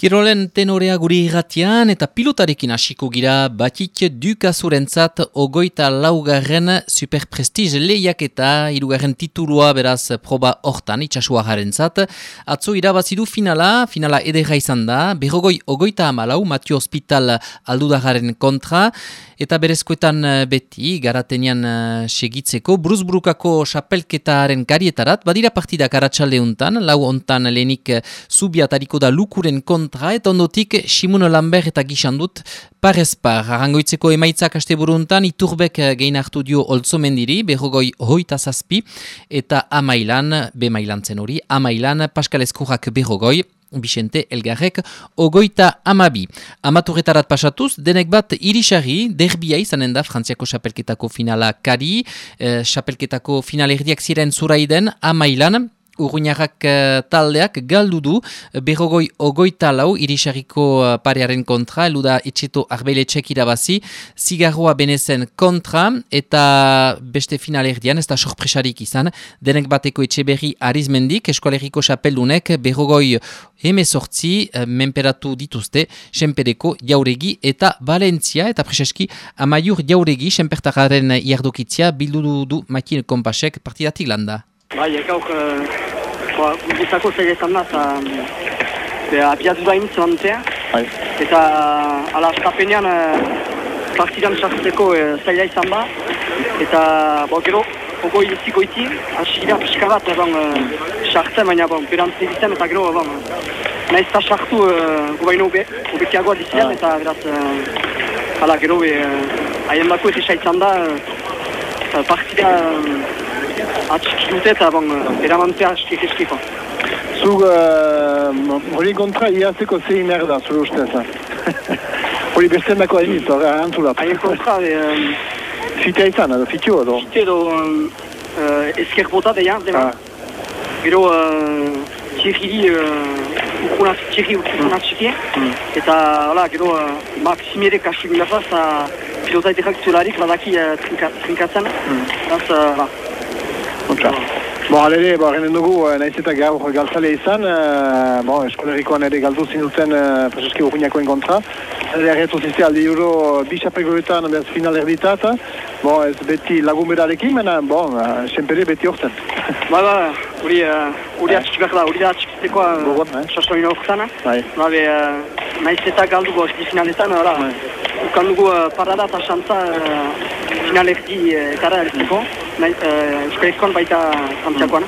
Kirolen tenorea guri irratian eta pilotarekin hasiko gira Batik Dukazurentzat 24. Superprestige lehiaketa, 3. titulua beraz proba hortan itxasuajarentzat. Atzo irabazidu finala ederra izan da, berrogoi 34 Matio Hospital aldudagaren kontra, eta berezkoetan beti garatenian segitzeko Bruzburukako xapelketaren karietarat, badira partidak aratsalde untan, lau ontan lehenik Zubiatariko da Lukuren kontra, eta ondotik Simon Lambert eta Gixandut parezpar. Arrangoitzeko emaitzak asteburuntan Iturbek gehin hartu dio Oltzomendiri, berrogoi 27, eta Amailan, B-mailan zen hori, Amailan Pascal Eskurrak berrogoi, Bixente Elgarrek 32. Amaturetarat pasatuz, denek bat irisari, derbia izanen da Frantziako xapelketako finala kari, xapelketako finalerdiak ziren zuraiden Amailan, Urruñarrak taldeak galdu du, berrogoi 24 irisariko parearen kontra, eluda etxeto arbeiletxek irabazi, zigarroa benezen kontra, eta beste finalerdian, ez da sorpresarik izan, denek bateko Etxeberri Arizmendik, eskoaleriko xapeldunek, berrogoi 18 menperatu dituzte, Senpereko Jauregi eta Valentzia, eta preseski Amaiur Jauregi, Senpertararen iardokitzia, bildu du Makin Kompasek partidatik landa. Bai, gauk, guztako zaila izan da, eta abiadura initzen dute, eta ala astapenean partidan sartzeko zaila izan da, eta gero, ogoi zikoiti, asigira pixka bat sartzen, baina berantz egiten, eta gero, nahiz eta sartu gubaino obekiagoa dizian, eta beraz, ala gero, haien bako ez izan da, partida atxiki dute eta eramantzea eskiko. Zug hori kontra iazeko zein merda, zure ustez. Hori besten dako hainit, antzulat. Haien kontra, fitea izan, edo fitio edo? Fite edo ezker bota deia, dema. Gero Thierry urkunat txiki, eta gero Maximere kasu gilafaz, pilota etekak zularik badaki trinkatzen. Alere, genen dugu, nahiz eta gaur galtzale izan, eskolerikoan ere galdu zinuten preseski urruñakoen kontra. Ere erretu zizte aldi euro bi xapegoetan behaz final erditat, ez beti lagun berarekin, mena, senpere beti horzen. Hori atxik behar da, hori da atxikitekoa sasoin horretan. Nahiz eta galdugu hori finaletan, ukan dugu parada eta xantza finalerdi etara ertzeko. Euskarizkoan baita Frantziakoan,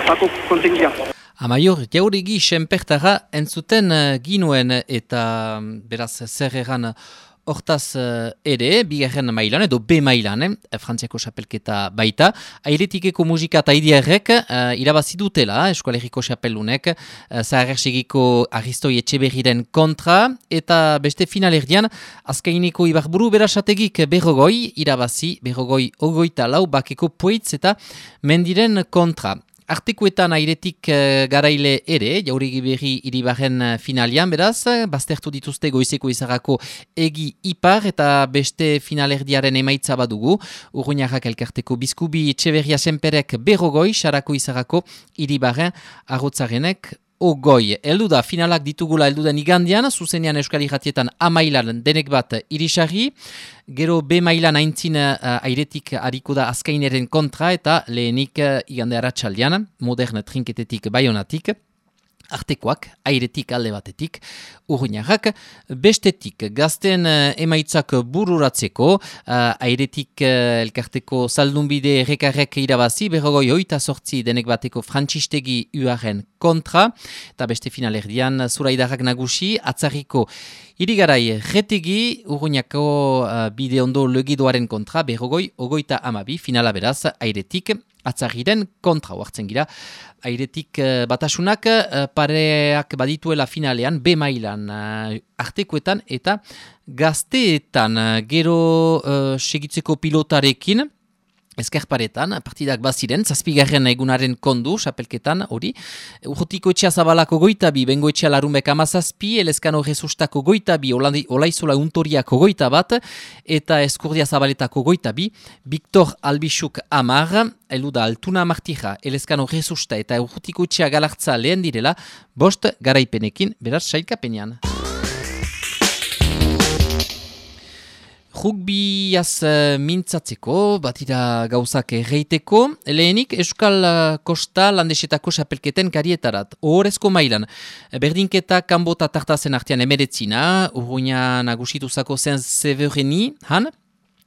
bako kontengia. Amaior, Jauregi Senpertara entzuten ginuen eta beraz zer egan hortaz ere, bigarren mailan edo B-mailan, Frantziako xapelketa baita, airetikeko musika eta idiarrek irabazi dutela, eskualeriko xapeldunek, zaharrersegiko Aristoi Etxeberriren kontra, eta beste finalerdian, azkaineko Ibarburu berasategik berrogoi, irabazi berrogoi 24 bakeko Poitz eta Mendiren kontra. Artekuetan airetik garaile ere, Jauregi berri iribarren finalian, beraz, baztertu dituzte goizeko izarako egi ipar eta beste finalerdiaren emaitza badugu. Urruñarrak elkarteko Bizkubi Etxeberria Senperek berrogoi, sarako izarako iribarren arrotzarenek ogoi. Eldu da, finalak ditugula elduden igandian, zuzenean Euskal Irratietan Amailan denek bat irisarri, gero B-mailan aintzin airetik hariko da azkaineren kontra eta lehenik igande aratsaldean, modern trinketetik baionatik, artekoak, airetik alde batetik, urruñarrak, bestetik, gazten emaitzak bururatzeko, airetik elkarteko zaldunbide errekarrek irabazi, berrogoi 28 denek bateko Frantzistegi uaren kontra, eta beste finalerdian zuraidarrak nagusi, atzarriko irigarai retegi, urruñako bide ondo legidoaren kontra, berrogoi 32, finala beraz, airetik, atzarriren kontra hartzen gira. Airetik batasunak pareak badituela finalean, B-mailan artekoetan eta gazteetan gero segitzeko pilotarekin, Ezkerparetan, partidak baziren, zazpigarren egunaren kondu, xapelketan, hori. Urrutiko etxea zabalako goitabi, bengo etxea larumek amazazpi, elezkano rezustako goitabi, olaizola untoriako goita bat, eta eskurdia zabaletako goitabi, Victor Albixuk amar, eluda altuna martija, elezkano rezusta eta urrutiko etxea galartza lehen direla, bost garaipenekin, beraz, sailkapenean. Rugbiaz mintzatzeko, batira gauzak erreiteko, lehenik Euskal Kosta landesetako xapelketen karietarat, ohorezko mailan. Berdinketa kanbota tartazen artean emeretzina, urruina nagusituzako zen Severeni, han,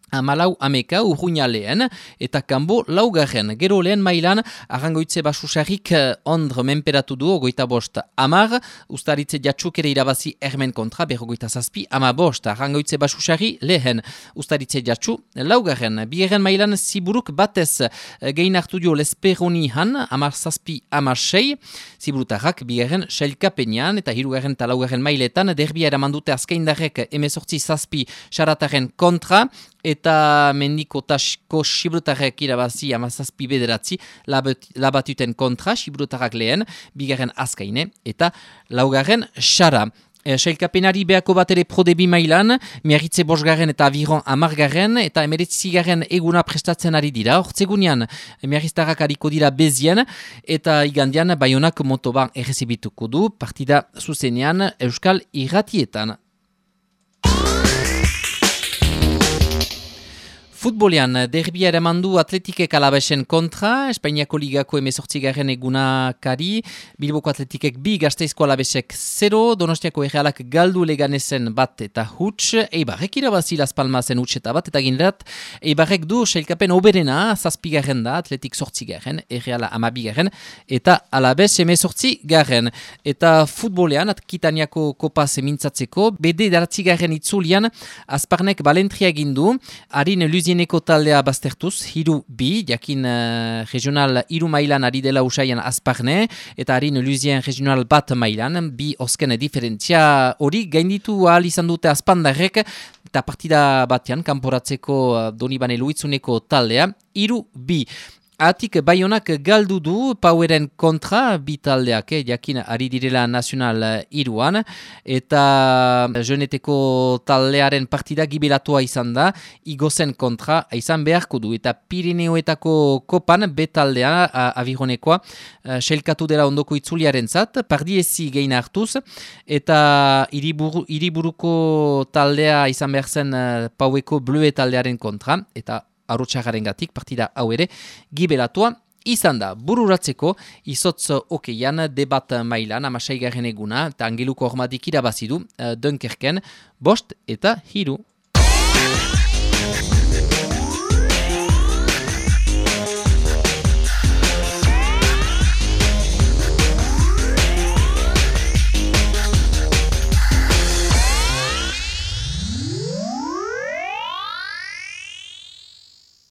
Amalau ameka urruina lehen eta kanbo laugarren. Gero lehen mailan arrangoitze basusarrik ondre menperatu du ogoita bost amar, ustaritze jatxuk ere irabazi ermen kontra berrogoita zazpi ama bost. Arrangoitze basusarri lehen ustaritze jatxu laugarren. Bigarren mailan ziburuk batez gehin hartu dio lesperoni han amar zazpi amar sei, ziburutarrak bigarren sailkapenean eta hirugarren eta laugarren mailetan derbia eramandute azkaindarrek emezortzi zazpi xarataren kontra, eta mendiko tasko xibrutarrek irabazi amazazpi bederatzi labatuten kontra, xibrutarrak lehen, bigarren azkaine, eta laugarren xara. Sailkapenari behako bat ere prodebi mailan, miarritze bosgarren eta aviron amargarren, eta emeretzigarren eguna prestatzen ari dira. Hortzegunean, miarriztarrak hariko dira bezien, eta igandian Baionak motoban errezibituko du, partida zuzenean Euskal Irratietan. Futbolean, derbia eramandu Atletikek Alabesen kontra, Espainiako ligako 18. egunakari, Bilboko Atletikek 2, Gasteizko Alabesek 0, Donostiako Errealak galdu Leganesen bat eta huts, Eibarrek irabazi Las Palmasen huts eta bat, eta ginerat, Eibarrek du sailkapen oberena, 7. da, Atletik 8. Erreala 12. eta Alabes 18. Eta futbolean, Akitaniako kopa zemintzatzeko, BD 9. itzulian, Azparnek balentria egindu, harin Luzieneko taldea baztertuz, hiru bi, jakin regional hiru mailan ari dela usaian Azparne, eta harin Luzien regional bat mailan, bi osken diferentzia hori, gainditu ahal izan dute Azpandarrek, eta partida batean, kanporatzeko Donibane Luitzuneko taldea, hiru bi. Atik Baionak galdu du Poweren kontra bi taldeak, jakin ari direla Nacional iruan, eta Jeuneteko taldearen partida gibelatua izan da, Igozen kontra izan beharko du, eta Pirineoetako kopan betaldea avironekoa selkatu dela ondoko itzuliaren zat, pardiezi gehin hartuz, eta hiriburuko taldea izan behar zen Paueko Blue taldearen kontra, eta Arotxagarengatik partida hau ere gibelatua izan da. Bururatzeko izotz okeian debat mailan 16. eguna eta Angeluko Hormadik irabazidu Dunkerken 5 eta 3.